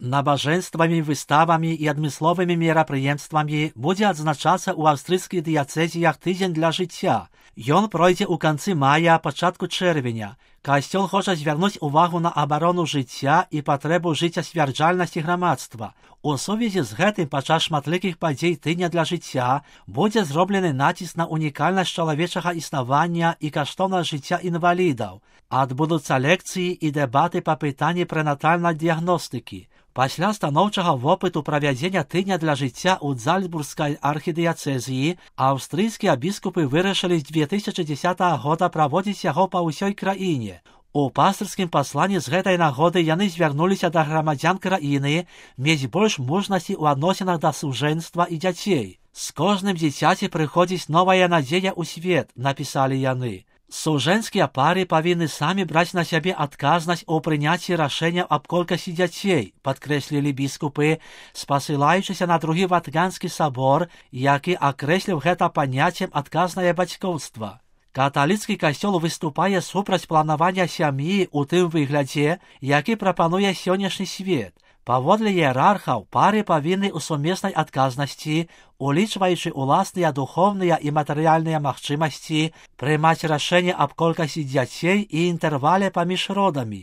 Набажэнствамі, выставамі і адмысловымі мерапрыемствамі будзе адзначацца ў аўстрыйскіх дыяцэзіях тыдзень для жыцця. Ён пройдзе ў канцы мая, пачатку чэрвеня. Касцёл хоча звярнуць увагу на абарону жыцця і патрэбу жыццясцвярджальнасці грамадства. У сувязі з гэтым падчас шматлікіх падзей тыдня для жыцця будзе зроблены націск на унікальнасць чалавечага існавання і каштоўнасць жыцця інвалідаў. Адбудуцца лекцыі і дэбаты па пытанні прэнатальнай дыягностыкі. Пасля станоўчага вопыту правядзення тыдня для жыцця ў Зальцбургскай архідыяцэзіі аўстрыйскія біскупы вырашылі з 2010 года праводзіць яго па ўсёй краіне. У пастырскім пасланні з гэтай нагоды яны звярнуліся да грамадзян краіны мець больш мужнасці ў адносінах да сужэнства і дзяцей. З кожным дзіцяці прыходзіць новая надзея ў свет, напісалі яны. Сужэнскія пары павінны самі браць на сябе адказнасць у прыняцці рашэнняў аб колькасці дзяцей, падкрэслілі біскупы, спасылаючыся на другі Ватыканскі сабор, які акрэсліў гэта паняццем адказнае бацькоўства. Каталіцкі касцёл выступае супраць планавання сям'і ў тым выглядзе, які прапануе сённяшні свет. Паводле іерархаў, пары павінны ў сумеснай адказнасці, улічваючы уласныя духоўныя і матэрыяльныя магчымасці, прымаць рашэнне аб колькасці дзяцей і інтэрвале паміж родамі.